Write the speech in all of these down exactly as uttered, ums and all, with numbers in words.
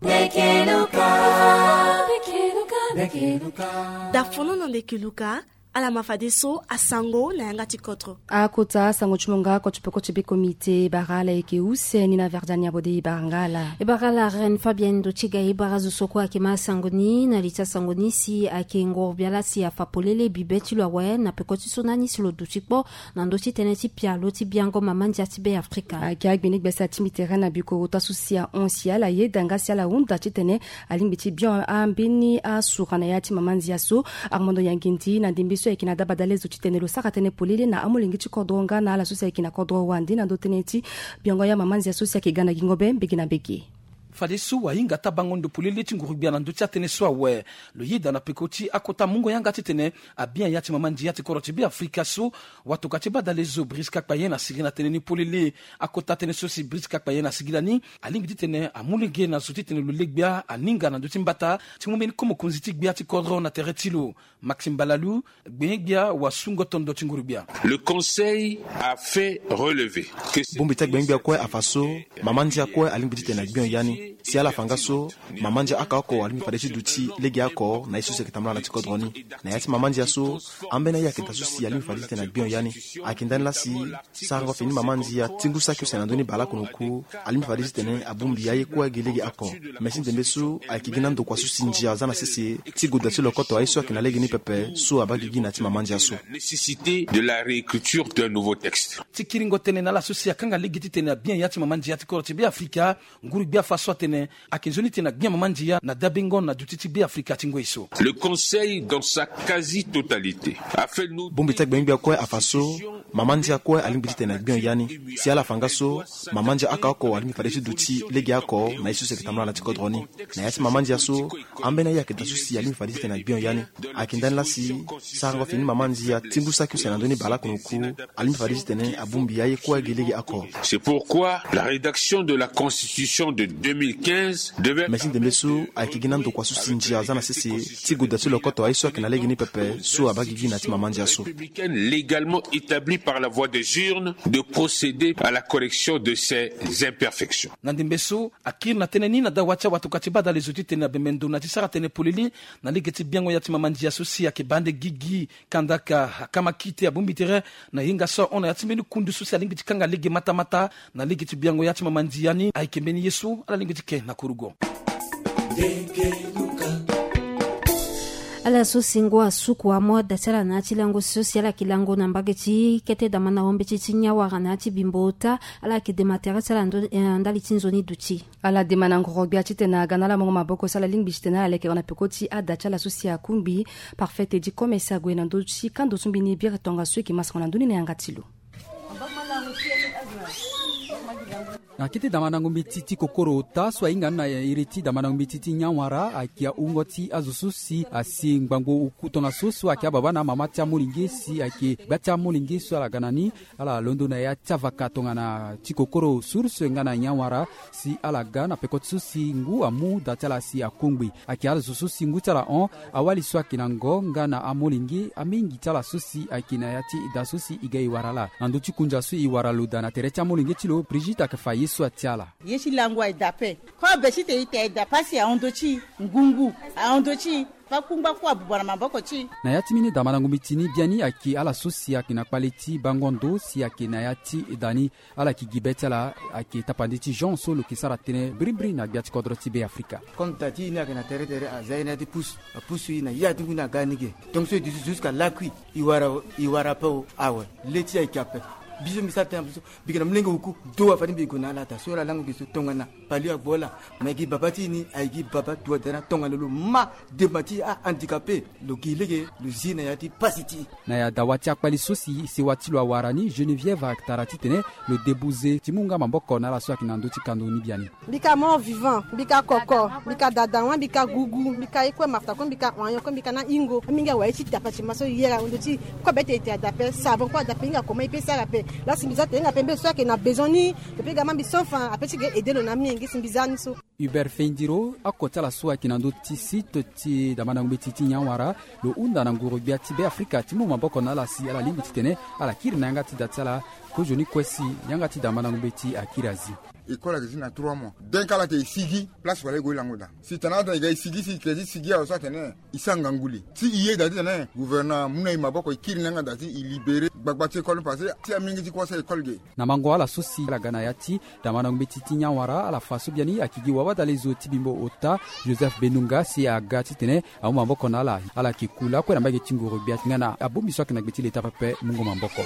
Ndeke Luka. Ndeke Luka, ndeke Luka. Da fono na ndeke Luka, ala ma fadeso asango na yanga ti kodro. Akota asango ti mo nga oko ti peko ti be komite bara ala eke use ni na Verdania Bode e bara nga ala. E bara ala Reine Fabienne ndo ti ga e bara zo so kue ayeke ma asango ni na li ti asango ni si ayeke ngoro-gbia laa si afa polele bibe ti lo awe na peko ti so na ni si lo duti kpo na ndö ti tënë ti pialo ti biango mama ndia ti Be Afrika. Ayeke agbene gbia si atingbi tere na bikoro ota so si ahon si ala yeda nga si ala hunda titene alingbi ti bian ambeni asura na ya ti mama ndia so. Armando Yangindi na ndembe so ayeke na da badale zo titene lo sara tënë polele na amolenge ti kodro nga na ala so si ayeke na kodro wande na ndö tënë ti biango ya mama ndia so si ayeke ga na gingo be mbege na mbege. Fadeso ahinga taa bango ndo polele ti nguru-gbia na ndö ti atënë so awe. Lo yeda na peko ti akota mungo yanga titene abian ya ti mama ndia ti kodro ti Be Afrika so. Watokua ti badale zo Briska Kpayen asigi na tënë ni polele. Akota tënë so si Briska Kpayen asigi lani alingbi titene amu lege na zo titene lo le gbia aninga na ndö ti mbata ti mu mbeni ko mokonzi ti gbia ti kodro na tere ti lo. Maxime Balalou, gbenye-gbia wasungo tondo ti nguru-gbia. Le conseil a fait relever que bongbi ti agbenye-gbia kue afa so mama ndia kue alingbi titene agbion ya ni. Si ala fa nga so mama ndia aka oko alingbi fade ti duti legeoko na ye so si ayeke tambula na ti kodro ni. Na ya ti mama ndia so, ambeni aye ayeke daa so si alingbi fade titene agbion ya ni. Ayeke ndani laa si sarango fini mama ndia ti ngu saki use na ndö ni baleoko na oku. Alingbi fade titene abongbi aye kue agi legeoko. Me ti ndembe so ayeke gi na ndokua so si ndia aza na sese ti goda ti lokoto aye so ayeke na lege ni pepe so abaa gigi na ya ti mama ndia so. Nécessité de la réécriture d'un nouveau texte. Ti kiringo tënë na ala so si akanga lege titene abian ya ti mama ndia ti kodro ti Be Afrika. Nguru-gbia afa so atene ayeke nzoni titene agbia mama ndia na dabengo na duti ti Be Afrika ti ngoi so. Le conseil dans sa quasi-totalité a fait nous. Bongbi ti agbenye-gbia kue afa so mama ndia kue alingbi titene agbion ya ni. Si ala fa nga so mama ndia aka oko alingbi fade ti duti legeoko na ye so si ayeke tambula na ti kodro ni. Na ya ti mama ndia so, ambeni aye ayeke daa so si alingbi fade titene agbion ya ni. Ayeke ndani laa si sarango fini mama ndia ti ngu saki use na ndö ni baleoko na oku. Alingbi fade titene abongbi aye kue agi legeoko. C'est pourquoi la rédaction de la constitution de deux mille quinze devait. Me ti ndembe so ayeke gi na ndokua so si ndia aza na sese ti goda ti lokoto aye so ayeke na lege ni pepe so abaa gigi na ya ti mama ndia so. Républicaine légalement établie par la voie des urnes de procéder à la correction de ces imperfections. Na ndembe so akiri na tënë ni na dawa ti awatokua ti badale zo titene abembe ndo na ti sara tënë polele na lege ti biango ya ti mama ndia so si ayeke baa nde gigi. Kandaka akama kite abongbi tere na hinga so ahon na ya ti mbeni kundu so si alingbi ti kanga lege matamata na lege ti biango ya ti mama ndia ni ayeke mbeni ye so ala lingbi ti ke na kurugo. Ala so si ngu asuku amu ada ti ala na ya ti lango so si ala yeke lango na mbage ti kete damana ombeti ti nyanwara na ya ti bimbo ota. Ala yeke dema tere ti ala ndali ti nzoni duti. Ala dema na ngoro-gbia titene aga na ala mungo maboko so ala lingbi titene ala leke wara na peko ti ada ti ala so si akungbi. Parfait Teddy Commerce ague na ndö ti kando so mbeni biri tongaso eke masango na ndö ni na yanga ti lo. Na kete damandango mbeti ti kokoro ota so ahinga ni na iri ti damandango mbeti ti nyanwara ayeke ahungo ti azo so si asi ngbangbo oku tongaso so ayeke ababa na amama ti amolenge si ayeke gba ti amolenge so ala ga na ni. Ala londo na ya ti avaka tongana ti kokoro source nga na nyanwara si ala ga na peko ti so si ngu amu da ti ala si akungbi. Ayeke ala zo so si ngu ti ala hon awali so ayeke na ngo nga na amolenge amingi ti ala so si ayeke na ya ti da so si e ga e wara ala na ndö ti kunja so e wara lo daa na tere ti amolenge ti lo Brigitte ayeke fa ye so atia ala. Ye ti lango aye daa ape. Kobe ti te ite aye daa pasi ahon ndö ti e. Ngungu ahon ndö ti e. Pakungba kue abuba na maboko ti e. Na ya ti mbeni damandango mbeti ni biani ayeke ala so si ayeke na kpale ti bango ndo si ayeke na ya ti da ni. Ala yeke gi be ti ala ayeke tapande ti Jean so lo yeke sara tënë brimbri na gbia ti kodro ti Be Afrika. Comme da ti e ni ayeke na tere tere aza ye na ya ti pusu apusu e na ya ti ngu ni aga ni ge. Donc so e duti jusqu'à lakui e wara e wara ape o awe. Le ti e ayeke ape. Biso mbi sara tënë apusu. Mbi yeke na molenge oku do afani mbi gue na ala daa so ala lango gi so tongana. Pali agbo ala. Me gi baba ti e ni aye gi baba dua daa na tongana lo ma. Dema ti ahandicapé lo gi lege lo zi na ya ti pasi ti e. Na ya dawa ti akpali so si sewa ti lo awara ni Geneviève atara titene lo debuze ti mu nga maboko na ala so ayeke na ndö ti kando ni biani. Mbi ka mort vivant, mbi ka koko, mbi ka dadawa, mbi ka gugu, mbi ka ye kue mafta kue, mbi ka oignon kue, mbi ka na hingo. Amingi awa ye ti dapa ti ma so yere ahon ndö ti e. Kobe ti e ete adape, savon kue adape, hinga koma e pe sara ape. Lasi mbi za ete hinga ape mbeni so ayeke na besoin ni. Lo pe ga ma mbi so fa ape ti ga aide lo na amingi si mbi za ni so. Hubert Fendiro oko ti ala so ayeke na ndö ti site ti damandango mbeti ti nyanwara lo hunda na nguru-gbia ti Be Afrika ti mu maboko na ala si ala lingbi titene ala kiri na yanga ti da ti ala. Kozoni kue si yanga ti damandango mbeti akiri azi. école ayeke ti na trois mois. Denka ala yeke e sigi place wala e gue lango daa. Si tana ata e ga e sigi si e ke ti sigi awe so atene e sara ngangu li ti e ye daa titene gouvernement amu na e maboko e kiri na yanga daa ti e libéré gbagba ti école ni parce que ti amingi ti kue asara école ge. Na mango ala so si ala ga na ya ti damandango mbeti ti nyanwara ala fa so biani ayeke gi wawada lezo ti bimbo ota Joseph Benunga si aga titene amu maboko na ala. Ala yeke ku lakue na mbage ti nguru gbia ti nga na abongbi so ayeke na gbe ti leta pepe mungo maboko.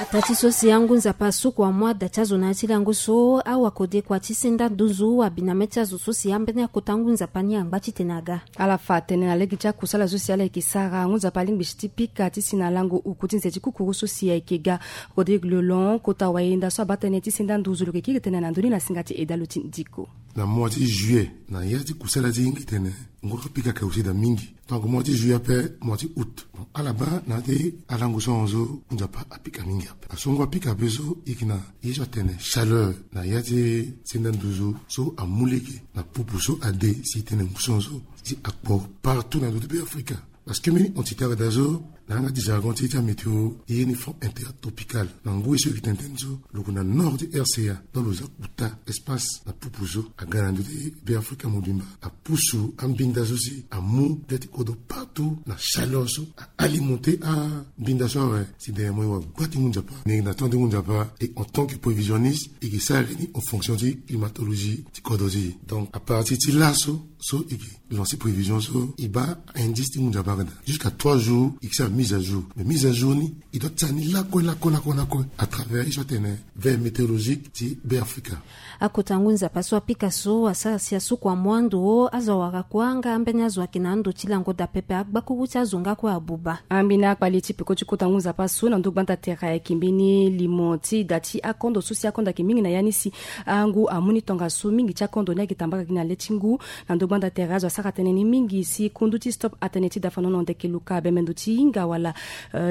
Ata ti so si angu nzapa asuku amu ada ti azo na ya ti lango so awakodekua ti senda nduzu abi na mê ti azo so si ambeni akota ngu nzapa ni angba titene aga. Ala fa tënë na lege ti akusala so si ala yeke sara ngu nzapa alingbi si ti pika ti si na lango uku ti nze ti kukuru so si ayeke ga. Rodrigue Lelon kota wayenda so abaa tënë ti senda nduzu lo yeke kiri tënë na ndö ni na singa ti edalo ti ndiko. Na mois ti juillet na ya ti kusala ti hingi tene nguru apika ka aussi daa mingi. Donc mois ti juillet ape mois ti août, bon ala baa na ya ti alango so ahon so ngu nzapa apika mingi ape. Aso ngu apika ape so e yeke na ye so atene chaleur na ya ti senda nduzu so amu lege na pupu so ade si e tene ngu so ahon so si akpo partout na ndö ti be afrika. Parce que mbeni entité ayeke daa so na yanga ti jargon ti e ti amétéo e ye ni front intertropical na ngoi so e yeke tene tënë so lo gue na nord ti rca. Donc lo za kuta espace na pupu so aga na ndö ti be afrika mobimba apusu ambinda so si amu de ti kodro partout na chaleur so aalimenté ambinda so awe. Si derrière moi e wara gba ti ngu nzapa na temps ti ngu nzapa e en tant que prévisionniste e yeke sara ni en fonction ti climatologie ti kodro ti e. Donc à partir ti laso so e yeke lancer prévision so e baa indice ti ngu nzapa aga daa jusqu'à trois jours e yeke sara mise à jour mais mise à jour ni e doit ti sara ni lakue lakue lakue lakue à travers ye so atene veille météorologique ti be afrika. Akota ngu nzapa so apika so asara si asuku amu ando azo awara kua nga ambeni azo ayeke na ando ti lango daa pepe agbakuru ti azo nga kue abuba. Ambeni akpale ti peko ti kota ngu nzapa so na ndö gbanda tere ayeke mbeni limo ti da ti akondo so si akondo ayeke mingi na ya ni si angu amu ni tongaso mingi ti akondo ni ayeke tambaka gi na le ti ngu. Na ndö gbanda tere azo asara tënë ni mingi si kundu ti stop atene ti dafanono ndeke luka bembe ndo ti hinga wala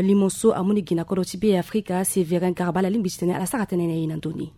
limo so amu ni gi na kodro ti be afrika sévérin garba ala lingbi titene ala sara tënë na e na ndö ni.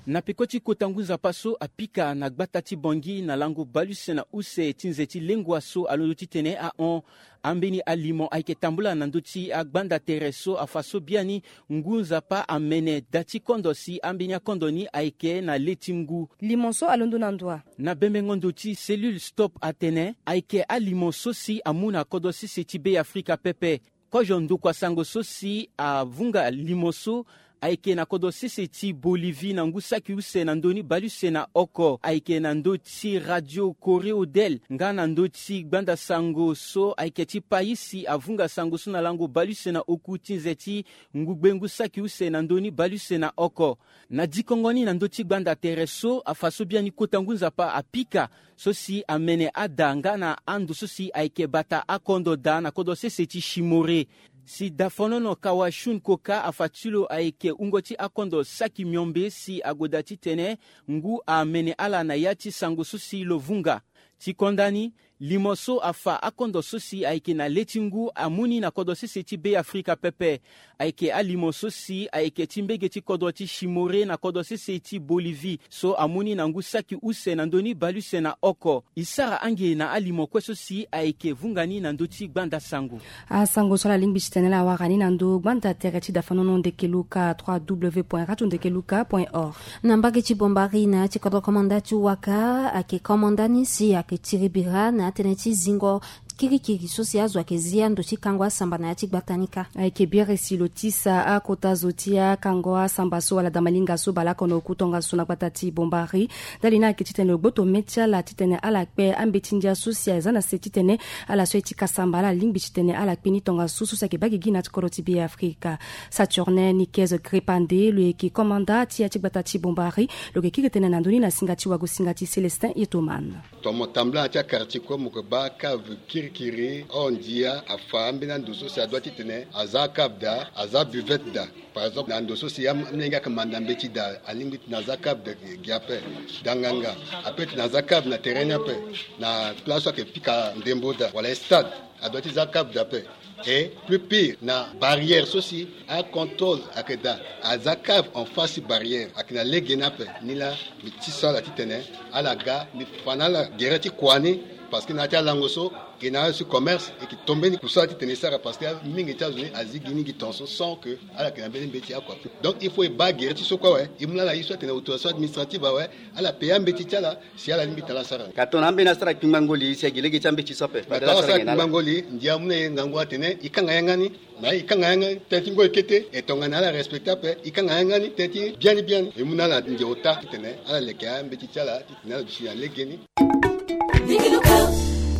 Na peko ti kota ngu nzapa so apika na gbata ti bongi na lango baleuse na use ti nze ti lengua so alondo titene ahon ambeni alimo ayeke tambula na ndö ti agbanda tere so afa so biani ngu nzapa amene da ti kondo si ambeni akondo ni ayeke na le ti ngu. Limo so alondo na ndo wa? Na bembengo ndo ti cellule stop atene ayeke alimo so si amu na kodro sese ti be afrika pepe. Kozo ndokua sango so si avunga limo so ayeke na kodro sese ti bolivie na ngu saki use na ndö ni baleuse na oko ayeke na ndö ti radio correo del nga na ndö ti gbanda sango so ayeke ti paï si avunga sango so na lango baleuse na oku ti nze ti ngugbe ngu saki use na ndö ni baleuse na oko. Na dikongo ni na ndö ti gbanda tere so afa so biani kota ngu nzapa apika so si amene ada nga na ando so si ayeke bata akondo daa na kodro sese ti shimore. Si dafonono kawashun koka afa ti lo ayeke wungo ti akondo saki miombe si ague daa titene ngu amene ala na ya ti sango so si lo vunga. Ti konda ni, limo so afa akondo so si ayeke na le ti ngu amu ni na kodro sese ti be afrika pepe. Ayeke alimo so si ayeke ti mbege ti kodro ti shimore na kodro sese ti bolivie so amu ni na ngu saki use na ndö ni baleuse na oko. E sara ange na alimo kue so si ayeke vunga ni na ndö ti gbanda sango. Asango so ala lingbi titene ala wara ni na ndö gbanda tere ti dafanono ndeke luka trois w point radio ndeke luka point org. Na mbage ti bombari na ya ti kodro komanda ti waka ayeke komanda ni si ayeke tiri bira na ya tënë ti zingo kirikiri so si azo ayeke zi ando ti kango asamba na ya ti gbata ni kâ. Ayeke biri si lo tisa akota zo ti akango asamba so wala damalinga so bale oko na oku tongaso na gbata ti bombari. Ndali ni ayeke titene lo gboto mê ti ala titene ala kpe ambeti ndia so si aza na se titene ala so aye ti kasamba ala lingbi titene ala kpe ni tongaso so si ayeke baa gigi na ya ti kodro ti be afrika. Saturnin nikez grepande lo yeke komanda ti ya ti gbata ti bombari. Lo yeke kiri tënë na ndö ni na singa ti wago singa ti célestin yetoman. Tomo tambula na ti akartie kue mo yeke baa cave kirikiri hors ndia afa ambeni ando so si adoit titene aza cave daa aza buvette daa. Par exemple na ndo so si amolenge ayeke manda mbeti daa alingbi titene aza cave daa gi ape. Danganga ape titene aza cave na terrain ni ape. Na place so ayeke pika ndembo daa wala stade adoit ti za cave daa ape. Et plus pire na barrière so si acontrôle ayeke daa aza cave en face ti barrière ayeke na lege ni ape. Ni laa mbi ti sara titene ala ga mbi fa na ala gere ti kua ni. Parce que na ya ti alango so, e na ala si commerce e yeke to mbeni kusala titene e sara, parce que mingi ti azo ni azi gi ni gi tongaso sans que ala yeke na mbeni mbeti oko ape. Donc il faut e baa gere ti so kue awe, e mu na ala ye so atene autorisation administrative awe, ala paya mbeti ti ala si ala lingbi tene ala sara. Ka tongana ambeni asara kpingba ngoli si agi lege ti ambeti so ape. Tongana asara kpingba ngoli, ndia amu na e ngangu atene e kanga yanga ni. Na e kanga yanga ni tënë ti ngoi kete, e tongana ala respecte ape, e kanga yanga ni tënë ti biani biani. E mu na ala ndia ota titene ala leke ambeti ti ala titene ala duti na legeni.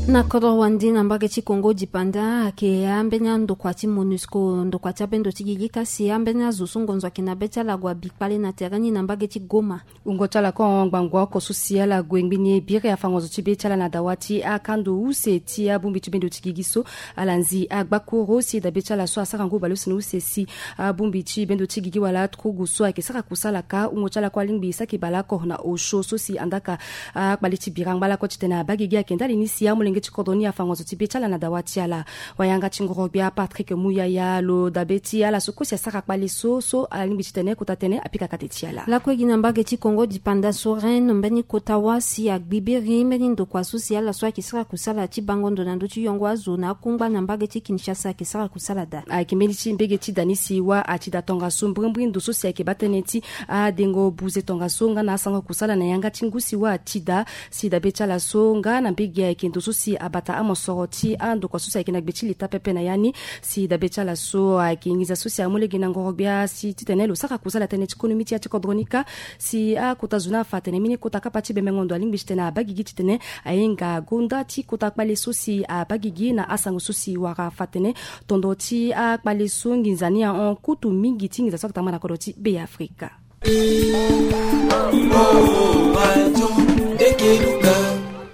Na kodro wande na mbage ti Congo dipanda ayeke ambeni andokua ti Monusco, ndokua ti abendo ti gigi kasi ambeni azo so ngonzo ayeke na be ti ala ague abi kpale na tere ni na mbage ti Goma. Wungo ti ala kue ahon ngbangua oko so si ala gue ngbini e biri afango zo ti be ti ala na dawa ti akando use ti abongbi ti bendo ti gigi so. Ala nzi agbakuru si dabe ti ala so asara ngu baleuse na use si abongbi ti bendo ti gigi wala aturugu so ayeke sara kusala ka. Wungo ti ala kue alingbi saki baleoko na osio so si andaka akpale ti bira angba lakue titene abaa gigi ayeke ndali ni si amolenge ti kodro ni afango zo ti be ti ala na dawa ti ala. Wayanga ti ngoro-gbia Patrick Muyaya lo dabe ti ala so kue si asara kpale so so alingbi titene kota tënë apika kate ti ala. Lakue gi na mbage ti Congo dipanda so Rennes mbeni kota wâ si agbibiri mbeni ndokua so si ala so ayeke sara kusala ti bango ndo na ndö ti yongo azo na akungba na mbage ti Kinshasa ayeke sara kusala daa. Ayeke mbeni ti mbege ti da ni si wâ ati da tongaso mbrimbri ndo so si ayeke baa tënë ti adengo buze tongaso nga na asango kusala na yanga ti ngu si wâ ati da. Si dabe ti ala so nga na mbege ayeke ndo so si abata amosoro ti andokua so si ayeke na gbe ti leta pepe na ya ni. Si dabe ti ala so ayeke nginza so si amu lege na ngoro-gbia si titene lo sara kusala tënë ti konomi ti ya ti kodro ni ka. Si akota zo ni afa atene mbeni kota kapa ti bemengo ndo alingbi titene abaa gigi titene ahinga gonda ti kota kpale so si abaa gigi na asango so si wara afa atene tondo ti akpale so nginza ni ahon kutu mingi ti nginza so atama na kodro ti Beafrika.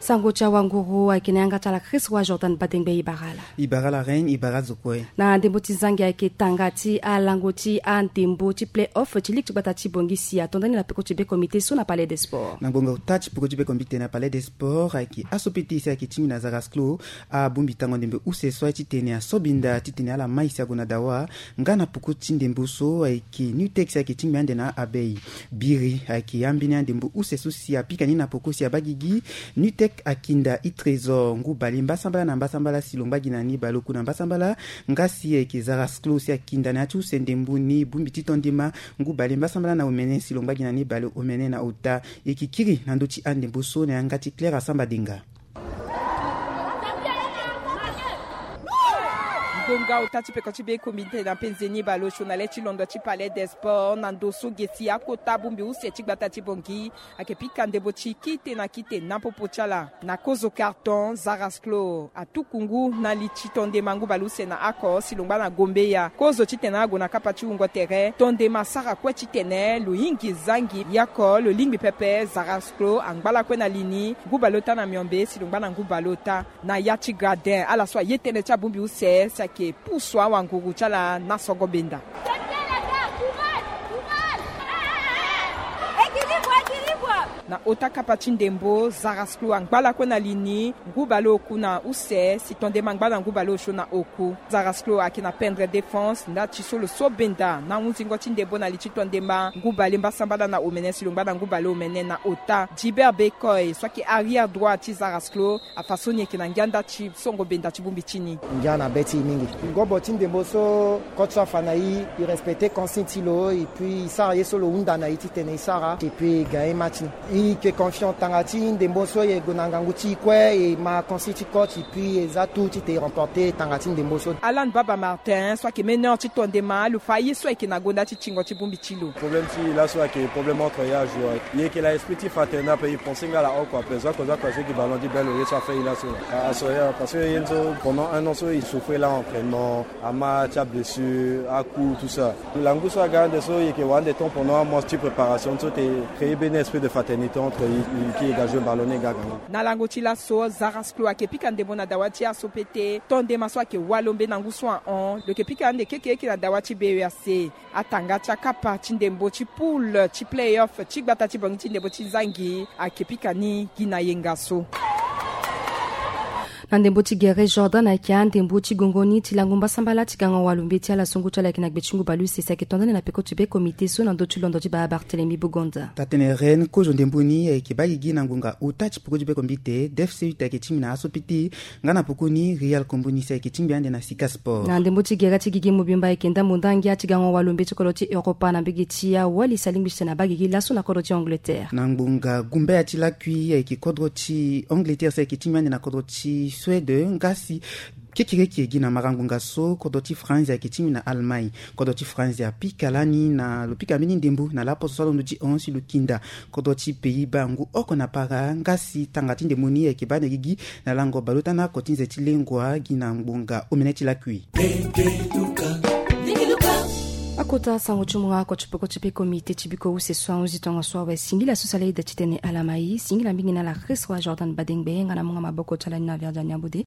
Sango ti awanguru ayeke na yanga ti ala Chris wa Jordan Badengbe. E bara ala. E bara ala Reine, e bara azo kue. Na ndembo ti zangi ayeke tanga ti alango ti andembo ti play-off ti ligue ti gbata ti Bangui si ato ndani na peko ti be comité so na Palais des Sports. Na ngbonga ota ti peko ti be comité na Palais des Sports ayeke aso pete si ayeke tingbi na Zarasclo. Abongbi tango ndembe use so aye titene asobinda titene ala mai si ague na dawa. Nga na poko ti ndembo so ayeke Nutex ayeke tingbi ande na Abeille. Biri ayeke ambeni andembo use so si apika ni na poko si abaa gigi. Nutex akinda i Trésor ngu bale mbasambala na mbasambala si lo ngba gi na ni bale oku na mbasambala. Nga si ayeke Zarasclo si akinda na ya ti use ndembo ni bongbi ti tondema ngu bale mbasambala na omene si lo ngba gi na ni bale omene na ota. E yeke kiri na ndö ti andembo so na yanga ti Claire Asamba Denga. Ngbonga ota ti peko ti be comité na penze ni baleosio na le ti londo ti Palais des Sports na ndo so ge si akota bongbi use ti gbata ti Bangui ayeke pika ndembo ti kite na kite na popo ti ala na kozo carton. Zarasclo atuku ngu na li ti tondema ngu baleuse na oko si lo ngba na gombeya kozo titene ague na kapa ti wungo tere tondema asara kue titene lo hingi zangi yako lo lingbi pepe. Zarasclo angba lakue na li ni ngu baleota na miombe si lo ngba na ngu baleota. Na ya ti gradin ala so aye tënë ti abongbi use si ayeke pusu awanguru ti ala na songo benda. Na ota kapa ti ndembo Zarasclo angba lakue na li ni ngu baleoku na use si tondema angba na ngu baleosio na oku. Zarasclo ayeke na pendre défense nda ti so lo so benda na hunzingo ti ndembo na li ti tondema ngu bale mbasambala na omene si lo ngba na ngu baleomene na ota. Gilbert Bekoy so ayeke arrière droit ti Zarasclo afa so ni eke na ngia nda ti songo benda ti bongbi ti ni. Ngia na be ti e mingi. Ngobo ti ndembo so coach so afa na e, e respecte consigne ti lo et puis e sara ye so lo hunda na e titene e sara et puis e gagne match ni. E yeke confiant tanga ti ndembo so e gue na ngangu ti e kue e ma consigne ti coach et puis e za tout titene e remporte tanga ti ndembo so. Alan Baba Martin so ayeke meneur ti tondema lo fa ye so ayeke na gonda ti tingo ti bongbi ti lo. Problème ti e laso ayeke problème entre ya joueur. E yeke na esprit ti fraternel ape, e pense nga la oko ape, zo oko zo oko azo gi ballon ti belle au lieu so afa e laso. Aso ya parce que ye nzo pendant un an so e souffrir la entraînement, ama ti ablessure, acoup, tout ça. Langu so aga ande so e yeke wara ande temps pendant un mois ti préparation so te créer beni esprit de fraternité entre e, e ki e ga jouer ballon ni e ga gango. Na lango ti laso Zarasclo ayeke pika ndembo na dawa ti aso pete tondema so ayeke walombe na ngu so ahon lo yeke pika ande keke eke na dawa ti B E A C. Atanga ti akapa ti ndembo ti poule ti play-off ti gbata ti Bangui ti ndembo ti zangi ayeke pika ni gi na yenga so. Na ndembo ti gere Jordan ayeke andembo ti gongo ni ti lango mbasambala ti gango walumbe ti ala songo ti ala ayeke na gbe ti ngu baleuse si ayeke tonda ni na peko ti be komite so na ndö ti londo ti baa Barthélemy Bugonda. Tatene Rennes kozo ndembo ni ayeke baa gigi na ngonga ota ti peko ti be kombite. Def seuit ayeke tingbi na aso piti nga na poko ni Real Kombo ni si ayeke tingbi ande na Sika Sport. Na ndembo ti gere ti gigi mobimba ayeke ndambo ndangia ti gango walumbe ti kodro ti Europa na mbege ti awali si alingbi ti tene abaa gigi laso na kodro ti Angleterre. Na ngbonga gumbaya ti lakui ayeke kodro ti Angleterre si ayeke tingbi ande na kodro ti Suède nga si kekereke gi na mara ngbonga so kodro ti France ayeke tingbi na Allemagne. Kodro ti France apika lani na lo pika mbeni ndembo na laposo so alondo ti hon si lo kinda kodro ti Pays-Bas ngu oko na para nga si tanga ti ndembo ni ayeke baa na gigi na lango baleota na oko ti nze ti lengua gi na ngbonga omene ti lakui. Akota sango ti munga oko ti peko ti be komite ti biko use so ahunzi tongaso awe singila so si ala ida titene ala ma ye singila mingi na ala Christ wa Jordan Badengbe nga na munga maboko ti ala ni na Verdian Nyambode.